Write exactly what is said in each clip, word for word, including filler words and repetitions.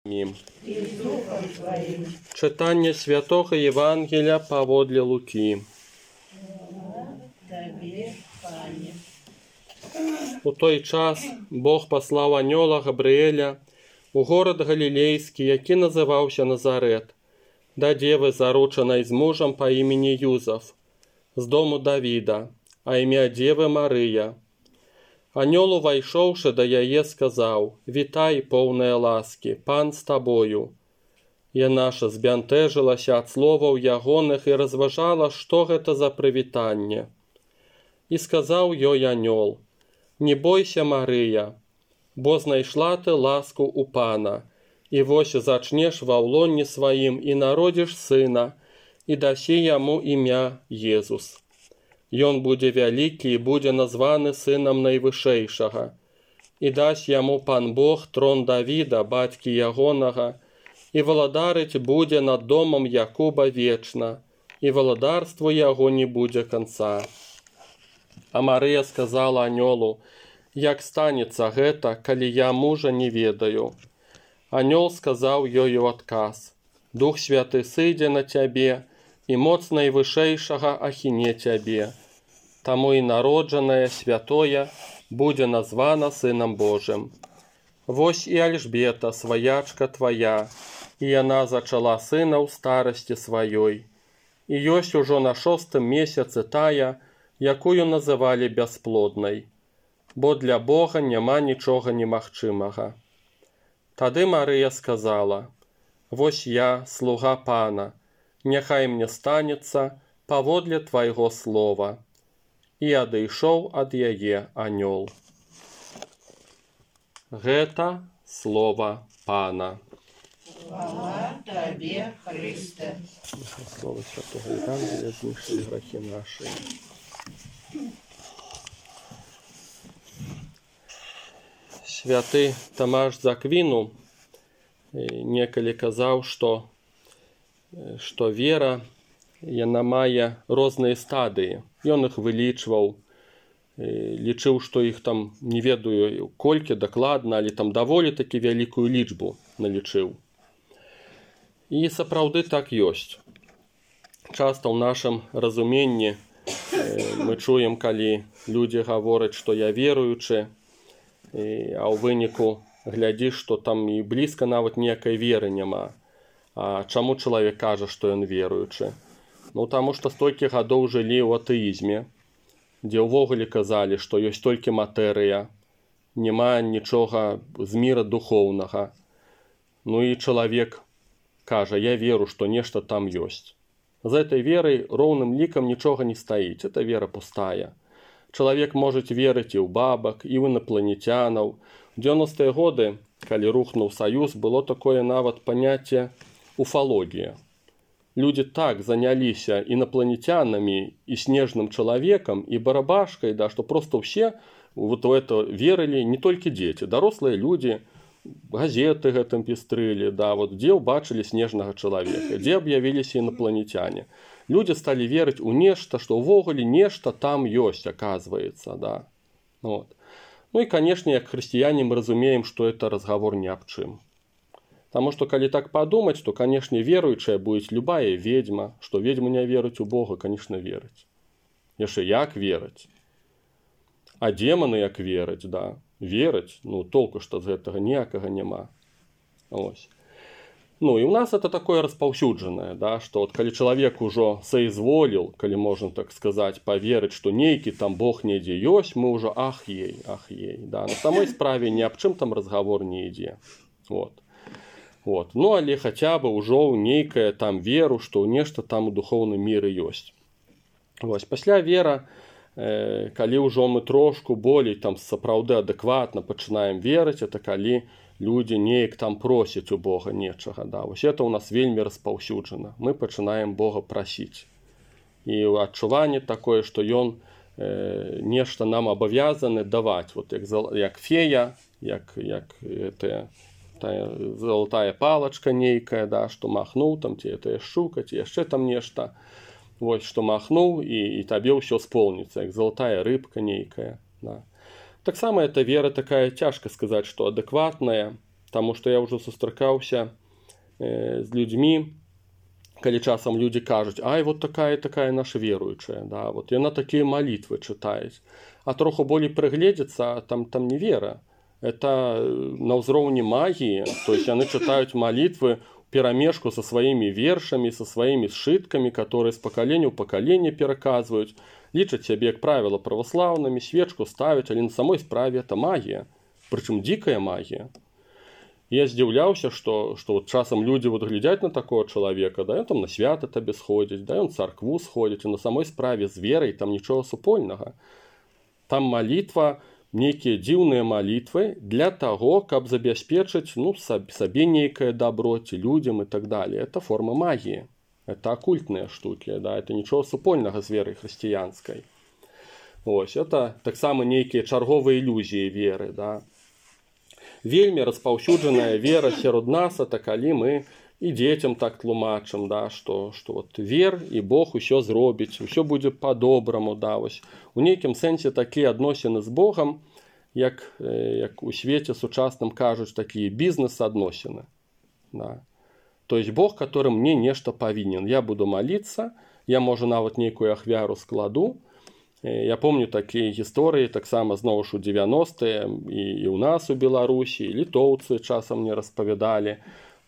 Амінь. Читання Святого Євангелія паводле Луки. У той час Бог послав аньола Габріеля у город Галілейський, який називався Назарет, да деви, зарученої з мужем по імені Юзеф, з дому Давіда, а ім'я деви Мария. Аньол, увайшовши до яе, сказав: «Вітай, повная ласки, пан з тобою». Яна ж збянтэжылася ад словаў ягоных і разважала, што гэта за прывітанне. І сказаў ёй аньол: «Не бойся, Марыя, бо знайшла ты ласку у пана, і вось зачнеш ва ўлонні сваім і народзіш сына, і дасі яму імя Езус. Ён будзе вялікі і будзе названы сынам найвышэйшага, і дасць яму пан Бог трон Давіда, бацькі ягонага, і валадарыць будзе над домам Якуба вечна, і валадарству яго не будзе канца». А Марыя сказала аньолу: «Як станецца гэта, калі я мужа не ведаю?» Аньол сказаў ёй у адказ: «Дух Святы сыдзе на цябе, і моц найвышэйшага ахіне цябе. Таму і народжанае святое будзе названа Сынам Божым. Вось і Альжбета, сваячка твая, і яна зачала сына ў старасці сваёй. І ёсць ужо на шостым месяцы тая, якую называлі бясплоднай, бо для Бога няма нічога немагчымага». Тады Марыя сказала: «Вось я, слуга пана, няхай мне станецца паводле твайго слова». І адышоў ад яе анёл. Гэта слова пана. Слава табе, Христе. Слова Святого Євангелія знищує грехи наші. Святы Тамаш з Аквіну некалі казаў, што, што вера, яна мае розныя стадыі. Ён іх вылічваў, лічыў, што іх там, не ведаю колькі дакладна, але там даволі такі вялікую лічбу налічыў. І сапраўды так ёсць. Часта ў нашым разуменні мы чуем, калі людзі гавораць, што я веруючы, а ў выніку глядзіш, што там і блізка нават ніякай веры няма. А чаму чалавек кажа, што ён веруючы? Ну, таму што столькі гадоў жылі ў атэізме, дзе ўвогуле казалі, што ёсць толькі матэрыя, няма нічога з міра духоўнага. Ну і чалавек кажа: я веру, што нешта там ёсць. За этой верай роўным лікам нічога не стаіць, это вера пустая. Чалавек можа верыць і ў бабак, і ў інапланецянаў. У дзевяностыя годы, калі рухнуў Саюз, было такое нават паняцце уфалогія. Людзі так заняліся інапланецянамі і снежным чалавекам, і барабашкай, да, што проста ўсе вот у это верылі, не толькі дзеці, дарослыя людзі, газеты гэтым пестрылі, да, вот, дзе ўбачылі снежнага чалавека, дзе аб'явіліся інапланецяне. Людзі сталі верыць у нешта, што ўвогуле нешта там ёсць, аказваецца, да. Вот. Ну і, канешне, як хрысціяне мы разумеем, што это разгавор ні аб чым. Таму што калі так падумаць, то, канешне, веруючая будзе любая ведьма, што ведьма не верыць у Бога, канешне, верыць. Яшчэ як верыць. А деманы як верыць, да. Верыць, ну, толку што з гэтага ніякага няма. Ось. Ну, і ў нас это такое распаўсюджанае, да, што от калі чалавек ужо саізволіў, калі можна так сказаць, паверыць, што нейкі там Бог недзе ёсць, мы ўжо ах ей, ах ей, да. На самой справе ні аб чым там разгавор не ідзе. Вот. Вот. Ну, але хаця бы ўжо ў нейкае там веру, што ў нешта там у духоўным міры ёсць. Вось. Пасля вера, э, калі ўжо мы трошку болей там сапраўды адэкватна пачынаем верыць, это калі людзі неяк там просяць у Бога нечага. Да. Вось это ў нас вельмі распаўсюджана. Мы пачынаем Бога прасіць. І адчуванне такое, што ён э, нешта нам абавязаны даваць. Вот як, як фея, як, як это... тая залатая палачка нейкая, да, што махнуў там, ці это шука, ці яшчэ там нешта. Вось, што махнуў, і, і табе ўсё сполніцца, як залатая рыбка нейкая. Да. Таксама эта вера такая, цяжка сказаць, што адэкватная, Таму што я ўжо сустракаўся э, з людзьмі, калі часам людзі кажуць: ай, вот такая такая наша веруючая, да, вот яна такія малітвы чытаюць. А троху болей прыгледзецца, там там не вера. Это на ўзроўні магіі, то есть яны чытаюць малітвы ў перамешку со сваімі вершамі, со сваімі сшыткамі, которые з пакалення ў пакаленне пераказваюць, лічаць сябе, як правіла, праваслаўнымі, свечку ставяць, але на самой справе это магія, прычым дзікая магія. Я здзіўляўся, што, што вот часам людзі вот глядзяць на такого чалавека, да, ён там на свята табе сходзіць, да, ён царкву сходзіць, і на самой справе з верай там нічога супольнага. Там малітва, нейкія дзіўныя малітвы для таго, каб забяспечыць, ну, сабе нейкае дабро ці людзям і так далее. Это форма магіі. Это акультныя штукі, да, это нічога супольнага з верай хрысціянскай. Ось, это таксама нейкія чарговыя ілюзіі веры, да. Вельмі распаўсюджаная вера сярод нас, это калі мы і дзецям так тлумачым, да, што, што вот вер і Бог усё зробіць, усё будзе па-добраму, да, вось. У нейкім сэнсе такія адносіны з Богам, як, як у свеце сучасным кажуць, такія бізнес-адносіны. Да. То есть Бог, который мне нешта павінен. Я буду маліцца, я, можа, нават нейкую ахвяру складу. Я помню такія гісторыі, таксама зноў ж у дзевяностыя, і, і ў нас у Беларусі, і літоўцы часам мне распавядалі.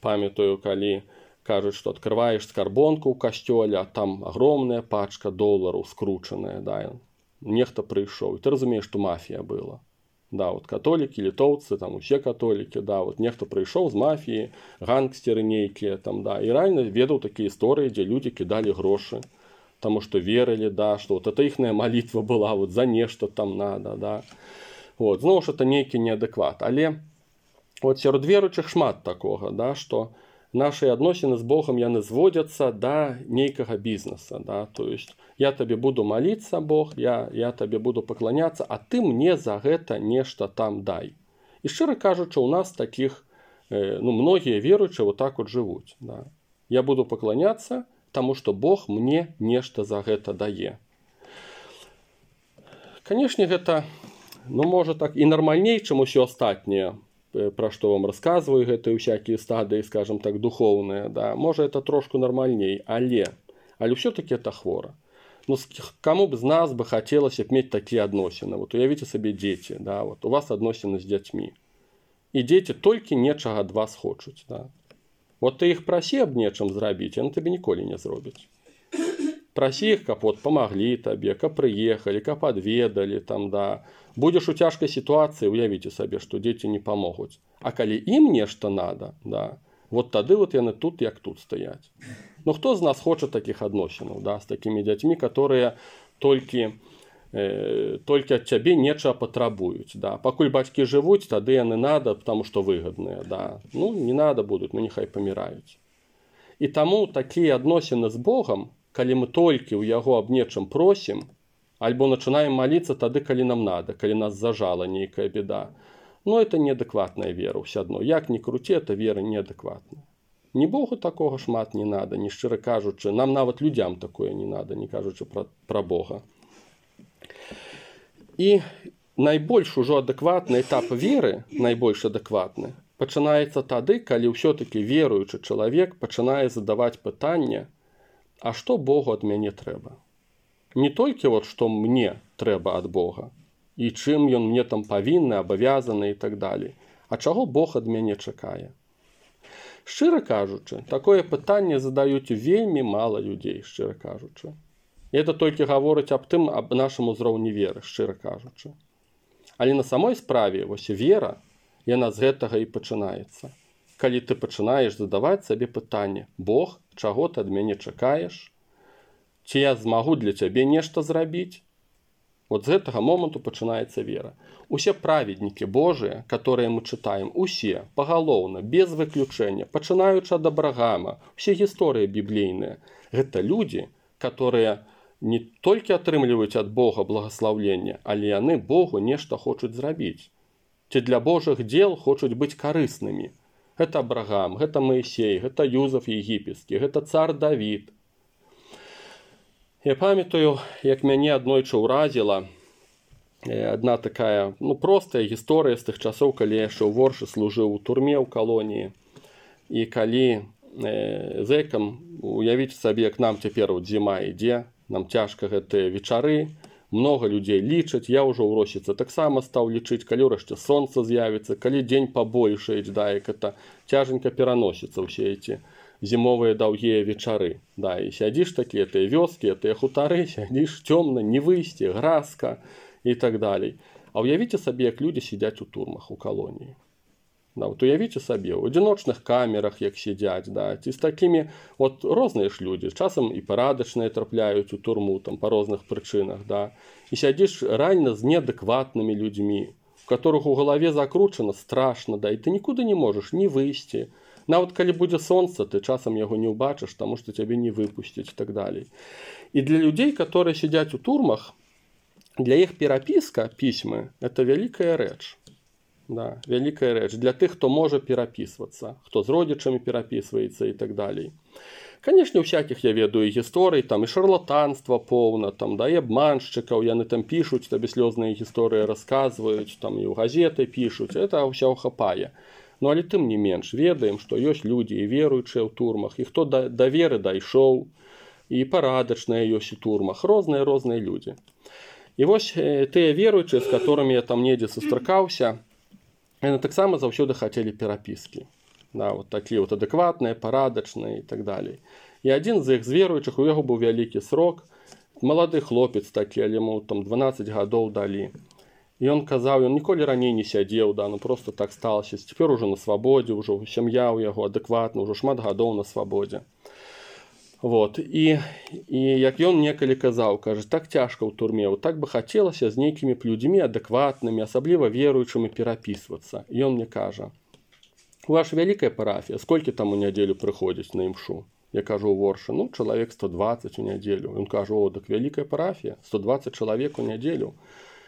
Памятаю, калі кажуць, што адкрываеш скарбонку ў касцёле, а там агромная пачка долараў скручаная, да, нехта прыйшоў. І ты разумееш, што мафія была. Да, вот католікі, літоўцы, там усе католікі, да, вот нехта прыйшоў з мафіі, гангстеры нейкія, там, да, і рэальна ведаў такія історыі, дзе людзі кідалі грошы, таму што верылі, да, што вот это іхная малітва была вот за нешта там надо, да. Вот, зноў ж, это нейкі неадэкват. Але вот сярод веруючых шмат такога, да, што наши адносіны з Богом яны зводзяцца да нейкага бізнеса, да, то есть я табе буду маліцца, Бог, я, я табе буду пакланяцца, а ты мне за гэта нешта там дай. І шчыра кажучы, у нас такіх, э, ну, многія веруючыя вот так вот жывуць, да. Я буду пакланяцца, таму што Бог мне нешта за гэта дае. Канешне, гэта, ну, можа так і нармальней, чым усё астатняе, пра што вам расказваю, гэтыя ўсякія стадыі, скажем так, духоўныя, да. Можа, это трошку нармальней, але, але ўсё-таки это хвора. Ну, каму б з нас бы хацелася б мець такія адносіны? Вот уявіце сабе дзеці, да, вот у вас адносіны з дзяцьмі. І дзеці толькі нечага ад вас хочуць, да. Вот ты іх прасі аб нечым зрабіць, яны табе ніколі не зробяць. Прасі іх, каб вот памаглі табе, каб прыехалі, каб адведалі, там, да. Будзеш у цяжкай сітуацыі, уявіце сабе, што дзеці не памогуць. А калі ім нешта надо, да, вот тады вот яны тут, як тут стаяць. Ну, хто з нас хоча такіх адносінаў, да, з такімі дзяцьмі, которые толькі, э, толькі ад цябе нечага патрабуюць, да. Пакуль бацькі жывуць, тады яны надо, потому што выгадныя, да. Ну, не надо будуць, ну, няхай паміраюць. І таму такія адносіны з Богам, калі мы толькі ў яго аб нечым просім, альбо начинаем молиться тады, калі нам надо, калі нас зажала нейкая беда. Но это неадэкватная вера ўсё адно. Як ни круці, это вера неадэкватная. Ні Богу такога шмат не надо, ні шчыра кажучы, нам нават людзям такое не надо, не кажучы пра, пра Бога. І найбольш ужо адэкватны этап веры, найбольш адэкватны, пачынаецца тады, калі ўсё-таки веруючы чалавек пачынае задаваць пытанне, а што Богу ад мяне трэба? Не толькі вот, што мне трэба ад Бога, і чым ён мне там павінны, абавязаны і так далей, а чаго Бог ад мяне чакае? Шчыра кажучы, такое пытанне задаюць вельмі мала людзей, шчыра кажучы. І это толькі гаворыць аб тым, аб нашым узроўні веры, шчыра кажучы. Але на самой справе, вось вера, яна з гэтага і пачынаецца. Калі ты пачынаеш задаваць сабе пытанне: Бог, чаго ты ад мяне чакаеш? Ці я змагу для цябе нешта зрабіць? Вот з гэтага моманту пачынаецца вера. Усе праведнікі Божыя, которые мы чытаем, усе, пагалоўна, без выключэння, пачынаючы ад Абрагама, усе гісторыі біблейныя, гэта людзі, которые не толькі атрымліваюць ад Бога благаслаўленне, але яны Богу нешта хочуць зрабіць. Ці для Божых дзел хочуць быць карыснымі. Гэта Абрагам, гэта Маісей, гэта Юзаф егіпецкі, гэта цар Давід. Я памятаю, як мяне аднойчы ўразіла одна такая, ну, простая гісторыя з тых часоў, калі яшчэ ў Воршы служыў у турме ў калоніі. І калі э, зэкам, уявіце сабе, як нам цяпер от зіма ідзе, нам цяжка гэтыя вечары, много людзей лічаць, я ўжо ў Росіцы таксама стаў лічыць, калі ўрэшце сонца з'явіцца, калі дзень пабольшаюць, да, як это цяженька пераносіцца ўсе эти зімовыя даўгія вечары. Да, і сядзіш такія тыя вёскі, тыя хутары, сядзіш цёмна, не выйсці, гразка і так далей. А уявіце сабе, як людзі сядзяць у турмах, у калоніі. Да, вот уявіце сабе, у адзіночных камерах, як сядзяць, да, ці з такімі, от розныя ж людзі, часам і парадачныя трапляюць у турму там па розных прычынах, да, і сядзіш рэальна з неадэкватнымі людзьмі, у которых у галаве закручана страшна, да, і ты нікуды не можаш ні выйсці. Нават калі будзе сонца, ты часам яго не ўбачыш, таму што цябе не выпусцяць і так далей. І для людзей, которые сядзяць у турмах, для іх перапіска пісьмы – это вялікая рэч. Да, вялікая рэч. Для тых, хто можа перапісвацца, хто з родзічамі перапісваецца і так далей. Канешне, у всякіх я ведаю гісторый, там і шарлатанства поўна, там, да, і абманшчыкаў, яны там пішуць, табе слёзныя гісторыі расказваюць, там і ў газеты пішуць, это ўсё хапае. Ну, але тым не менш, ведаем, што ёсць людзі і веруючыя ў турмах, і хто да, да веры дайшоў, і парадачныя ёсць у турмах, розныя-розныя людзі. І вось тыя веруючыя, з которымі я там недзе сустракаўся, яны таксама заўсёды хацелі перапіскі. Да, вот такія вот адэкватныя, парадачныя і так далей. І адзін з іх з веруючых, у яго быў вялікі срок, малады хлопец такі, але яму там дванаццаць гадоў далі. І ён казаў, ён ніколі раней не сядзеў, да, ну просто так сталася. Цяпер ужо на свабодзе, ужо сям'я ў яго адэкватна, ужо шмат гадоў на свабодзе. Вот. І, і як ён некалі казаў, кажа, так цяжка ў турме, так бы хацелася з нейкімі людзьмі адэкватнымі, асабліва веруючымі перапісвацца. І ён мне кажа, у ваша вялікая парафія, сколькі там у нядзелю прыходзіць на імшу? Я кажу, у Воршы, ну, чалавек сто дваццаць у нядзелю. Ён кажа, о, так вялікая парафія, сто дваццаць чалавек у нядзелю.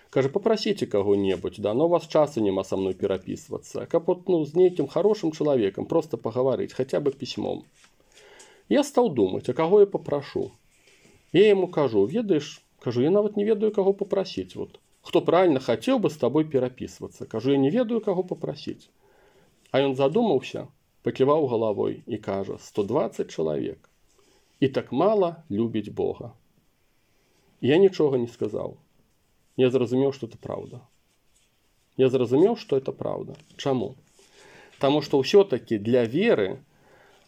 Кажа, попросіце каго-небудзь, да, но у вас часу няма са мной перапісвацца. Каб от, ну, з нейкім хорошым чалавекам проста пагаварыць, хаця бы пісьмом. Я стаў думаць, а каго я папрашу? Я яму кажу, ведаеш, кажу, я нават не ведаю, каго папрасіць. Вот. Хто правильно хацеў бы з табой перапісвацца? Кажу, я не ведаю, каго папрасіць. А ён задумаўся, паківаў галавой і кажа, сто дваццаць чалавек. І так мала любіць Бога. Я нічога не сказаў. Я зразумеў, што это праўда. Я зразумеў, што это праўда. Чаму? Таму што ўсё-такі для веры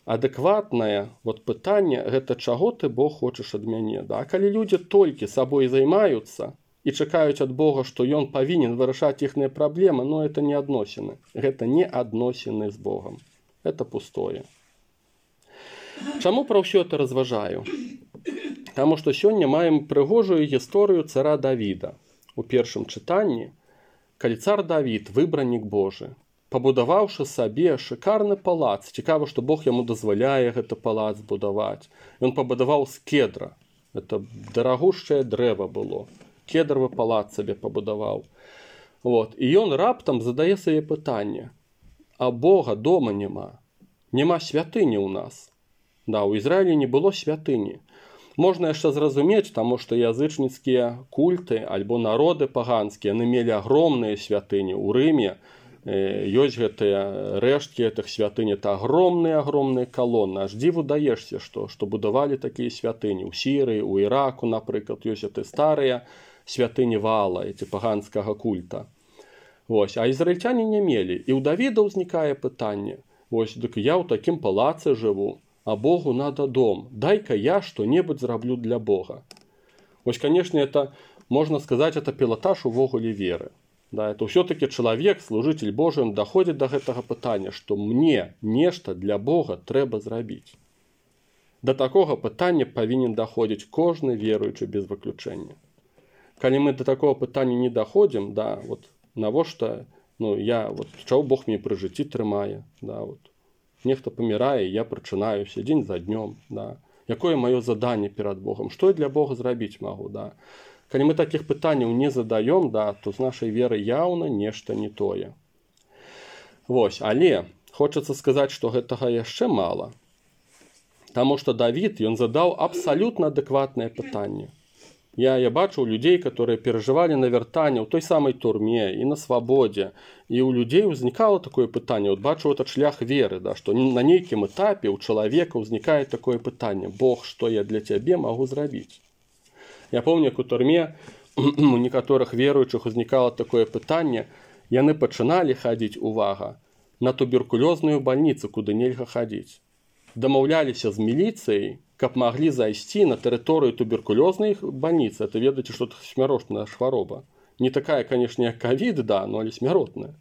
адэкватнае вот пытанне, гэта чаго ты, Бог, хочаш ад мяне. Да? А калі людзі толькі сабой займаюцца і чакаюць ад Бога, што ён павінен вырашаць іхныя праблемы, ну это не адносіны. Гэта не адносіны з Богам. Это пустое. Чаму пра ўсё это разважаю? Таму што сёння маем прыгожую гісторыю цара Давіда. У першым чытанні, калі цар Давід, выбраннік Божы, пабудаваўшы сабе шыкарны палац, цікава, што Бог яму дазваляе гэты палац будаваць. Ён пабудаваў з кедра. Это дарагушчае дрэва было. Кедравы палац сабе пабудаваў. Вот. І ён раптам задае сабе пытанне. А Бога дома няма. Няма святыні ў нас. Да, у Ізраілі не было святыні. Можна яшчэ зразумець, таму што язычніцкія культы альбо народы паганскія, яны мелі агромныя святыні. У Рыме ёсць гэтыя рэшткі гэтых святынь, это агромныя-агромныя калоны. Аж дзіву даешся, што, што будавалі такія святыні. У Сірыі, у Іраку, напрыклад, ёсць гэты старыя святыні Ваала, эти паганскага культа. Вось. А ізраільцяне не мелі. І ў Давіда ўзнікае пытанне. Вось, дык я ў такім палацы жыву, а Богу надо дом. Дай-ка я што-небудзь зраблю для Бога. Вось, канешне, это, можна сказаць, это пілатаж увогуле веры. Да, это ўсё-такі чалавек, служыцель Божы, он даходзіць да гэтага пытання, што мне нешта для Бога трэба зрабіць. Да такога пытання павінен даходзіць кожны веруючы без выключэння. Калі мы да такога пытання не даходзім, да, вот, навошта, ну, я, вот, чаго Бог мне пры жыцці трымае, да, вот, нехта памірае, я прачынаюся дзень за днём, да, якое маё заданне перад Богам, што я для Бога зрабіць магу, да. Калі мы такіх пытанняў не задаём, да, то з нашай веры яўна нешта не тое. Вось, але хочацца сказаць, што гэтага яшчэ мала. Таму што Давід, ён задаў абсалютна адэкватнае пытанне. Я, я бачыў людзей, которые перажывалі на вяртанне ў той самай турме і на свабодзе. І ў людзей узнікала такое пытанне. Вот бачу этот шлях веры, да, што на нейкім этапе ў чалавека ўзнікае такое пытанне: Бог, што я для цябе магу зрабіць? Я помню, як у турме у некаторых веруючых узнікала такое пытанне, яны пачыналі хадзіць, увага, на туберкулёзную бальніцу, куды нельга хадзіць. Дамаўляліся з міліцыяй, каб маглі зайсці на тэрыторыю туберкулёзнай бальніцы. Это, ведаеце, што смяротная хвароба. Не такая, канешне, як ковід, да, но але смяротная.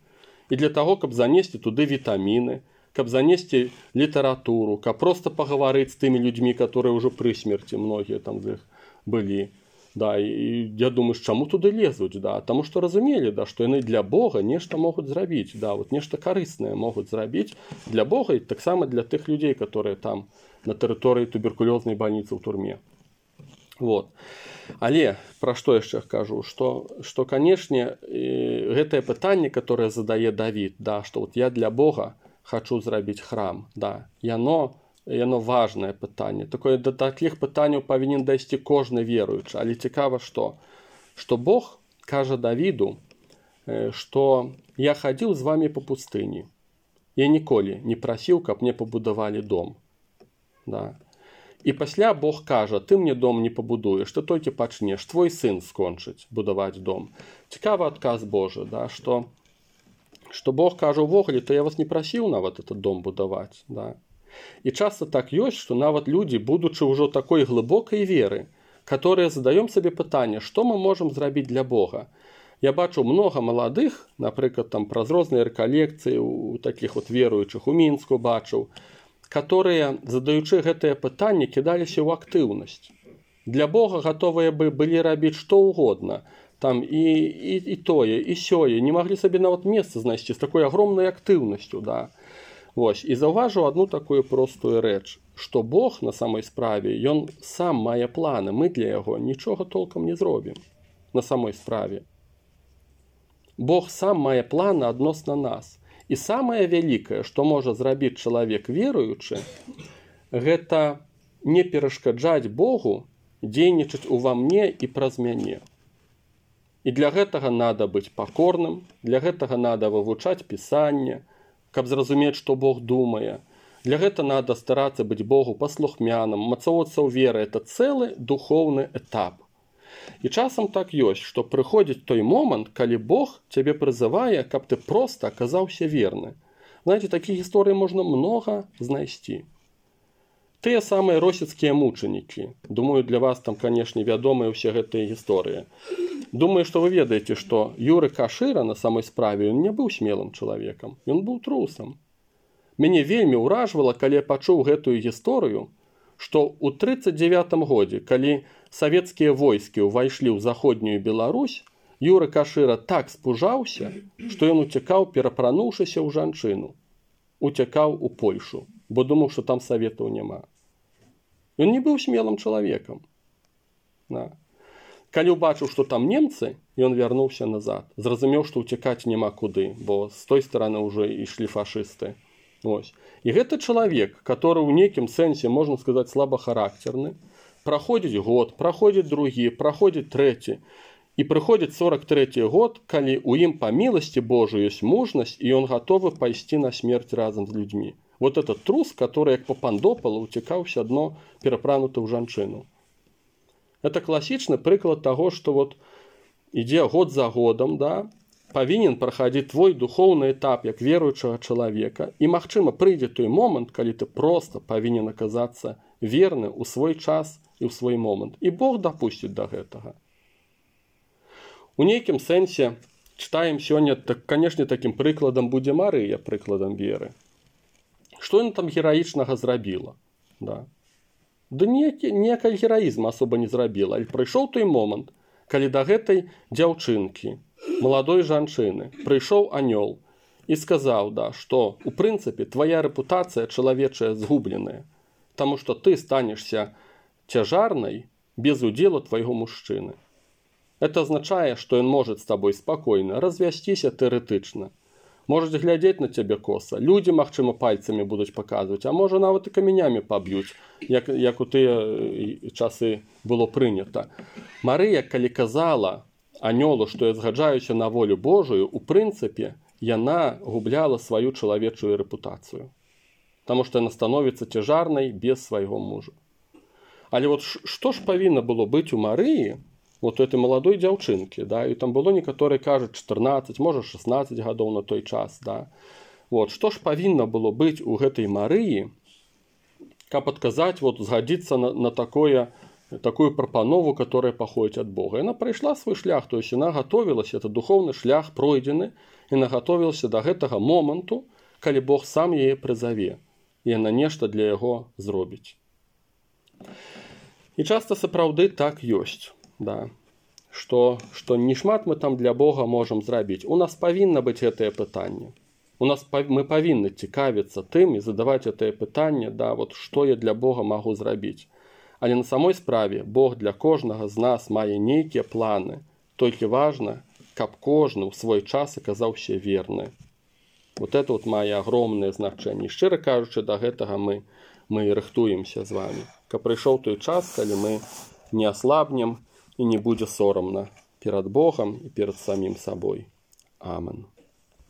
І для таго, каб занесці туды вітаміны, каб занесці літаратуру, каб проста пагаварыць з тымі людзьмі, которые ўжо пры смерці, многія там з іх былі. Да, і я думаю, чаму туды лезуць, да, таму што разумелі, да, што яны для Бога нешта могуць зрабіць, да, вот нешта карыснае могуць зрабіць для Бога і таксама для тых людзей, которые там на тэрыторыі туберкулёзнай бальніцы ў турме. Вот. Але пра што яшчэ кажу, што, што канешне, гэтае пытанне, которое задае Давід, да, што вот я для Бога хачу зрабіць храм, да, яно яно важнае пытанне. Такое да такіх пытанняў павінен дайсці кожны веруючы. Але цікава, што, што Бог кажа Давіду, што я хадзіў з вамі па пустыні. Я ніколі не прасіў, каб мне пабудавалі дом. Да. І пасля Бог кажа: ты мне дом не пабудуеш, ты толькі пачнеш, твой сын скончыць будаваць дом. Цікавы адказ Божы, да, што, што Бог кажа: увогуле, то я вас не прасіў нават этот дом будаваць. Да. І часта так ёсць, што нават людзі, будучы ўжо такой глыбокай веры, которые задаём сабе пытанне, што мы можам зрабіць для Бога. Я бачу многа маладых, напрыклад, там праз розныя рэкалекцыі у такіх вот веруючых, у Мінску бачыў, которые, задаючы гэтае пытанне, кідаліся ў актыўнасць. Для Бога гатовыя бы былі рабіць што угодна, там і, і, і тое, і сёе, не маглі сабе нават месца знайсці з такой агромнай актыўнасцю, да. Вось, і заўважу одну такую простую рэч, што Бог на самой справе, ён сам мае планы, мы для яго нічога толкам не зробім на самой справе. Бог сам мае планы адносна нас. І самае вялікае, што можа зрабіць чалавек веруючы, гэта не перашкаджаць Богу дзейнічаць ува мне і праз мяне. І для гэтага надо быць пакорным, для гэтага надо вывучаць пісанне, каб зразумець, што Бог думае. Для гэта надо старацца быць Богу паслухмяным, мацавацца ў веры. Это цэлы духоўны этап. І часам так ёсць, што прыходзіць той момант, калі Бог цябе прызывае, каб ты проста аказаўся верны. Знаеце, такіх гісторый можна многа знайсці. Тыя самыя російскія мучанікі. Думаю, для вас там, канешне, вядомыя ўсе гэтыя гісторыі. Думаю, што вы ведаеце, што Юры Кашыра на самой справе ён не быў смелым чалавекам, ён быў трусам. Мяне вельмі ўражвала, калі я пачуў гэтую гісторыю, што ў трыццаць дзевятым годзе, калі савецкія войскі ўвайшлі ў заходнюю Беларусь, Юра Кашыра так спужаўся, што ён уцякаў, перапрануўшыся ў жанчыну. Уцякаў у Польшу, бо думаў, што там саветаў няма. Ён не быў смелым чалавекам. Да. Калі ўбачыў, што там немцы, ён вярнуўся назад. Зразумеў, што ўцякаць няма куды, бо з той стороны ўжо ішлі фашысты. Ось. І гэта чалавек, который ў нейкім сэнсе, можна сказаць, слабахарактерны, праходзіць год, праходзіць другі, праходзіць трэці. І прыходзіць сорок трэці год, калі ў ім па міласці Божай ёсць мужнасць, і ён гатовы пайсці на смерць разам з людзьмі. Вот этот трус, который як папандопала уцікаўся дно перапрануты ў жанчыну. Это класічны прыклад таго, што вот ідзе год за годам, да, павінен прахадзіць твой духоўны этап як веруючага чалавека, і, магчыма, прыйдзе той момант, калі ты проста павінен аказацца верны ў свой час і ў свой момант. І Бог дапусціць да гэтага. У нейкім сэнсе чытаем сёння, так, канешне, такім прыкладам будзе Марыя, прыкладам веры. Што ён там гераічнага зрабіла? Да. Да ніякай гераізма асоба не зрабіла, але прыйшоў той момант, калі да гэтай дзяўчынкі, маладой жанчыны, прыйшоў анёл і сказаў, да, што, у прынцыпе, твая рэпутацыя чалавечая згубленая, таму што ты станешся цяжарнай без удзелу твайго мужчыны. Это означае, што ён можа з табой спакойна развясціся тэарэтычна, Можуць глядзець на цябе коса. Людзі, магчыма, пальцамі будуць паказваць, а можа нават і камянямі паб'юць, як, як у тыя часы было прынята. Марыя, калі казала анёлу, што я згаджаюся на волю Божую, у прынцыпе, яна губляла сваю чалавечую рэпутацыю. Таму што яна становіцца цяжарнай без свайго мужа. Але вот што ж павінна было быць у Марыі, вот у этой маладой дзяўчынкі, да, і там было некаторыя кажуць чатырнаццаць, можа шаснаццаць гадоў на той час, да. Вот, што ж павінна было быць у гэтай Марыі, каб адказаць, вот, згадзіцца на, на такое, такую прапанову, которая паходзіць ад Бога. Яна прайшла свой шлях, то есть яна гатовілася, это духовны шлях пройдзены, і яна гатовілася да гэтага моманту, калі Бог сам яе прызаве, і яна нешта для яго зробіць. І часта сапраўды так ёсць. Да, што, што не шмат мы там для Бога можам зрабіць. У нас павінна быць гэтае пытанне. У нас мы павінны цікавіцца тым і задаваць гэтае пытанне, да, вот, што я для Бога магу зрабіць. Але на самой справе Бог для кожнага з нас мае нейкія планы. Толькі важна, каб кожны ў свой час аказаўся верны. Вот это вот мае агромнае значэнне. Шчыра кажучы, да гэтага мы, мы рыхтуемся з вами. Каб прыйшоў той час, калі мы не аслабнем, і не будзе сорамна перад Богам і перад самім сабой. Амен.